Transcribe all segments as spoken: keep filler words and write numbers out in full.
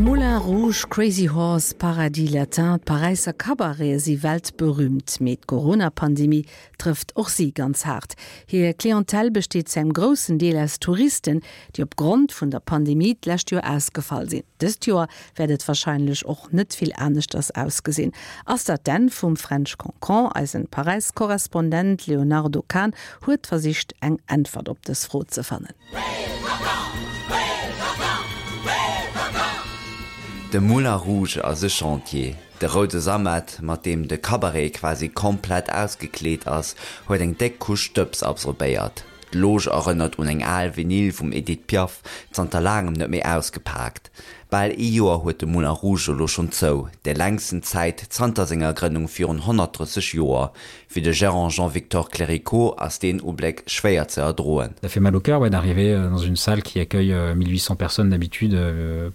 Moulin Rouge, Crazy Horse, Paradis Latin, d'Paräisser Cabarete si weltberüümt. Mee d'Corona-Pandemie trëfft och si ganz haart. Hir Clientèle besteet zu engem groussen Deel aus Touristen, déi opgrond vun der Pandemie d'lescht Joer ausgefall sinn. Dëst Joer wäert et warscheinlech och net vill aneschters ausgesinn. Ass dat d'Enn vum French Cancan? Eisen Paräis-Korrespondent Léonardo Kahn huet versicht eng Äntwert op dës Fro ze fannen. De Moulin Rouge ass e Chantier. De roude Sammet, mat deem de Cabaret quasi komplett ausgekleet ass, huet eng déck Couche Stëbs absorbéiert. D'Loge erënnert un eng al Vinyl vum Edith Piaf, zanter laangem net méi ausgepaakt. Bal ee Joer huet de Moulin Rouge elo schonn zou, déi längsten Zäit zanter senger Grënnung virun honnertdrësseg Joer. Fir de Gérant Jean-Victor Clerico ass deen Ubléck schwéier ze erdroen. Ça fait mal au cœur ouais, d'arriver dans une salle qui accueille mille huit cents personnes d'habitude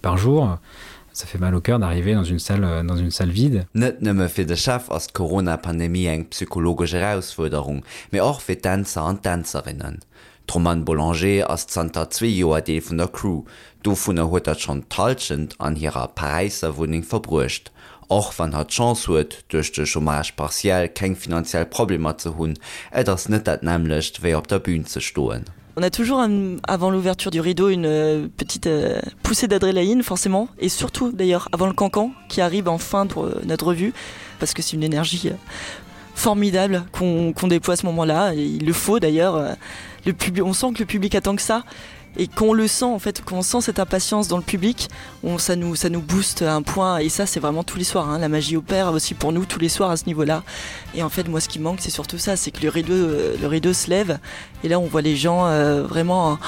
par jour. Ça fait mal au cœur d'arriver dans une salle, dans une salle vide. Net nëmme fir de Chef ass d'Corona-Pandemie eng psychologesch Erausfuerderung, mee och fir d'Dänzer an d'Dänzerinnen. D'Romane Boulanger ass zanter zwee Joer Deel vun der Crew. Dovunner huet hatt schonn d'Hallschent an hirer Paräisser Wunneng verbruecht. Och wann hatt d'Chance huet, duerch de Chômage partiel keng finanziell Problemer ze hunn, et ass net dat nämmlecht wéi op der Bün ze stoen. On a toujours un, avant l'ouverture du rideau une euh, petite euh, poussée d'adrénaline forcément et surtout d'ailleurs avant le cancan qui arrive en fin de euh, notre revue parce que c'est une énergie euh, formidable qu'on qu'on déploie à ce moment là et il le faut d'ailleurs euh, le public on sent que le public attend que ça et qu'on le sent en fait qu'on sent cette impatience dans le public on ça nous ça nous booste à un point et ça c'est vraiment tous les soirs hein, la magie opère aussi pour nous tous les soirs à ce niveau là et en fait moi ce qui manque c'est surtout ça c'est que le rideau euh, le rideau se lève et là on voit les gens euh, vraiment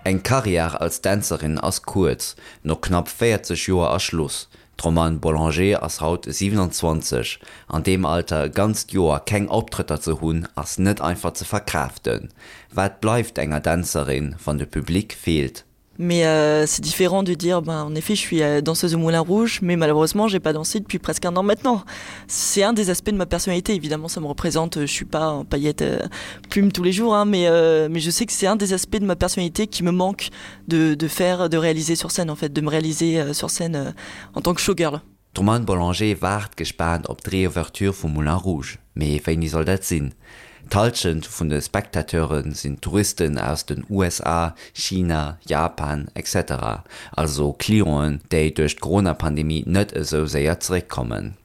Eng Karriär als Dänzerin ass kuerz, no knapp véierzeg Joer ass Schluss. D'Romane Boulanger ass haut siwenanzwanzeg. An deem Alter e ganzt Joer keng Optrëtter ze hunn, ass net einfach ze verkraaften. Wat bleift enger Dänzerin, wann de Public feelt? Mais euh, c'est différent de dire ben, en effet je suis euh, danseuse au Moulin Rouge mais malheureusement j'ai pas dansé depuis presque un an maintenant. C'est un des aspects de ma personnalité évidemment ça me représente je suis pas en paillette euh, plume tous les jours hein, mais, euh, mais je sais que c'est un des aspects de ma personnalité qui me manque de, de faire de réaliser sur scène en fait de me réaliser euh, sur scène euh, en tant que showgirl. D'Romane Boulanger waart gespaant op d'Reouverture vum Moulin Rouge. Mee wéini soll dat sinn? D'Hallschent vun de Spectateure sinn Touristen aus den U S A, China, Japan, et cetera also Clienten, déi duerch d'Corona-Pandemie net esou séier zeréckkommen.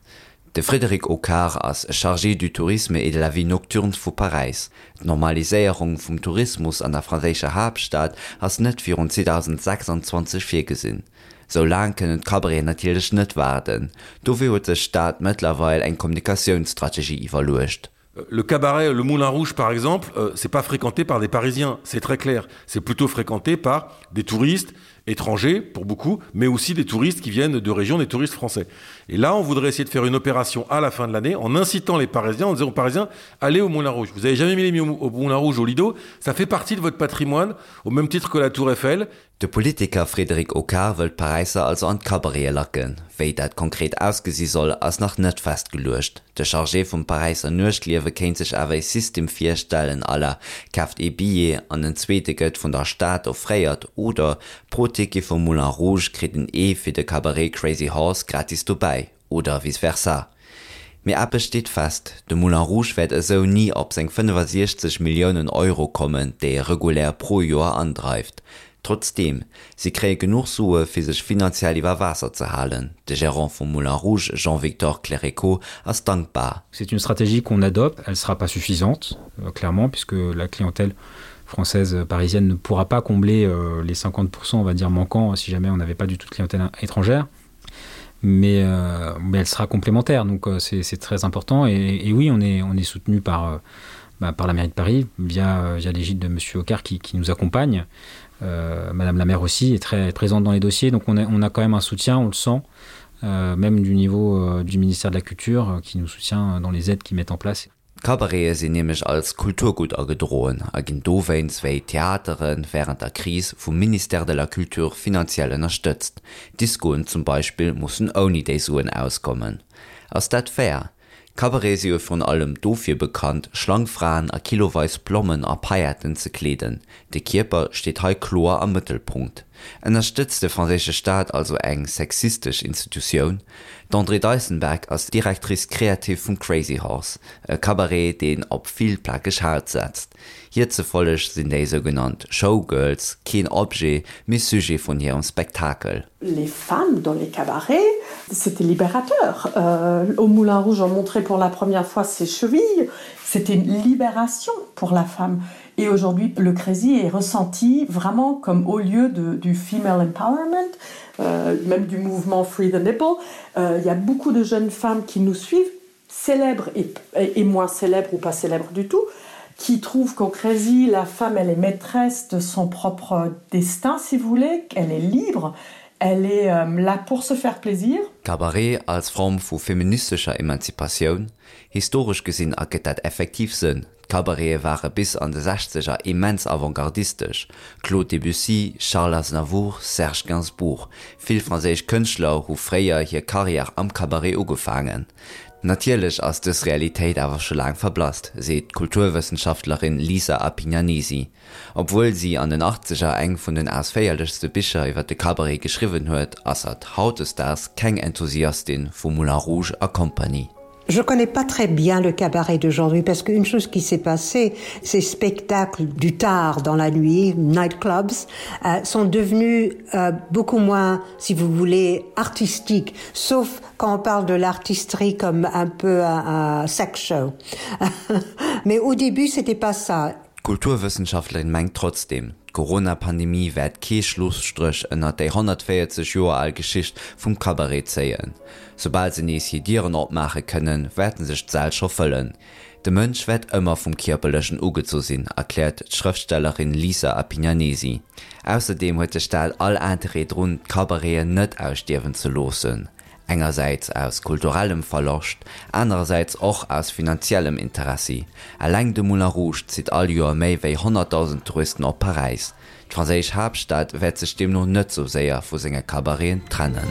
De Frédéric Hocquard ass Chargé du tourisme et de la vie nocturne vu Paräis. D'Normaliséierung vum Tourismus an der franséischer Haaptstad ass net virun zweedausendsechsanzwanzeg virgesinn. Sou laang kënnen d'Cabareten natierlech net waarden. Dofir huet sech d'Stad mëttlerweil eng Kommunikatiounsstrategie iwwerluecht. Le cabaret Le Moulin Rouge par exemple, euh, c'est pas fréquenté par des Parisiens, c'est très clair. C'est plutôt fréquenté par des touristes étrangers pour beaucoup, mais aussi des touristes qui viennent de régions, des touristes français. Et là, on voudrait essayer de faire une opération à la fin de l'année en incitant les Parisiens, en disant aux Parisiens, allez au Moulin Rouge. Vous avez jamais mis les pieds au Moulin Rouge au Lido, ça fait partie de votre patrimoine, au même titre que la Tour Eiffel. De Politiker Frédéric Hocquard wëll d'Paräisser also an d'Cabarete lacken. Wéi dat konkret ausgesi soll, ass nach net festgeluecht. De Chargé vum Paräisser Nuechtliewe kéint sech awer e System virstellen à la Kaaft ee Billet an en zweete gëtt vun der Stad offréiert oder pro Ticket vum Moulin Rouge kritt een ee fir de Cabaret Crazy Horse gratis dobäi oder vice versa. Mee eppes steet fest, De Moulin Rouge wäert esou ni op seng fënnefasiechzeg Milliounen Euro kommen, déi e regulär pro Joer andreift. Trotzdeem, si kréie genuch Sue fir sech finanziell iwwer Waasser ze halen. De Gerant vum Moulin Rouge Jean-Victor Clerico ass dankbar. C'est une stratégie qu'on adopte, elle sera pas suffisante, clairement, puisque la clientèle française parisienne ne pourra pas combler les cinquante pour cent, on va dire, manquants si jamais on n'avait pas du tout de clientèle étrangère. Mais, euh, mais elle sera complémentaire, donc, euh, c'est, c'est très important. Et, et oui, on est, on est soutenu par, euh, bah, par la mairie de Paris, via, via l'égide de Monsieur Hocquard qui, qui nous accompagne. Euh, Madame la maire aussi est très présente dans les dossiers, donc on a, on a quand même un soutien, on le sent, euh, même du niveau, euh, du ministère de la Culture, euh, qui nous soutient dans les aides qu'ils mettent en place. D'Cabarete sinn nämlech als Kulturgutt agedroen a ginn dowéinst wéi Theatere wärend der Kris vum Ministère de la Culture finanziell ënnerstëtzt. Discoen zum Beispill mussen ouni déi Suen auskommen. Ass dat fair? Cabarete si jo virun allem dofir bekannt, schlank Fraen a kiloweis Blommen a Pailletten ze kleeden. De Kierper steet hei kloer am Mëttelpunkt. Ënnerstëtzt de franséische Staat also eng sexistesch Institutioun? D'Andrée Deissenberg ass Directrice créative vum Crazy Horse, e Cabaret, deen op vill plakeg Haut setzt. Hir zefolleg sinn déi sougenannt Showgirls keen Objet, mee Sujet vun hirem Spektakel. Les femmes dans les cabarets, c'était libérateur. Euh, au Moulin Rouge, on montrait pour la première fois ses chevilles. C'était une libération pour la femme. Et aujourd'hui, le Crazy est ressenti vraiment comme au lieu de, du female empowerment, euh, même du mouvement Free the Nipple. Euh, il y a beaucoup de jeunes femmes qui nous suivent, célèbres et, et, et moins célèbres ou pas célèbres du tout, qui trouvent qu'au Crazy, la femme, elle est maîtresse de son propre destin, si vous voulez, qu'elle est libre, elle est euh, là pour se faire plaisir. Cabaret als Form vu feministescher Emanzipatioun? Historesch gesinn ergëtt dat effektiv Sënn. D'Cabarete ware bis an de Sechzeger immens avantgardistesch, Claude Debussy, Charles Aznavour, Serge Gainsbourg, vill franséisch Kënschtler hu fréier hir Karriär am Cabaret ugefaangen. Natierlech ass dës Realitéit awer scho laang verblasst, seet d'Kulturwëssenschaftlerin Lisa Appignanesi. Obwuel si an den Achtzeger eng vun den ausféierlechste Bicher iwwer de Cabaret geschriwwen huet, ass hatt hautdesdaags keng Enthusiastin vu Moulin Rouge a Compagnie. Je connais pas très bien le cabaret d'aujourd'hui parce qu'une chose qui s'est passée, ces spectacles du tard dans la nuit, nightclubs, euh, sont devenus euh, beaucoup moins, si vous voulez, artistiques, sauf quand on parle de l'artisterie comme un peu un, un sex show. Mais au début, c'était pas ça. D'Kulturwëssenschaftlerin mengt trotzdeem, d'Corona-Pandemie wäert kee Schlusstréch ënner déi honnertvéierzeg Joer al Geschicht vum Cabaret zéien. Soubal se nees hir Dieren opmaache kënnen, wäerten sech d'Säll scho fëllen. De Mënsch wäert ëmmer vum Kierperlechen ugezu sinn, erkläert d'Schrëftstellerin Lisa Appignanesi. Ausserdeem huet de Staat all Interêt drun, d'Cabareten net ausstierwen ze loossen. Engersäits aus kulturellem Verloscht, anerersäits och aus finanziellem Interessi. Eleng de Moulin Rouge zitt all Joer méi wéi honnertdausend Touristen op Paräis. D'franséisch Haaptstad wäert sech deemno net sou séier vu senge Cabareten trennen.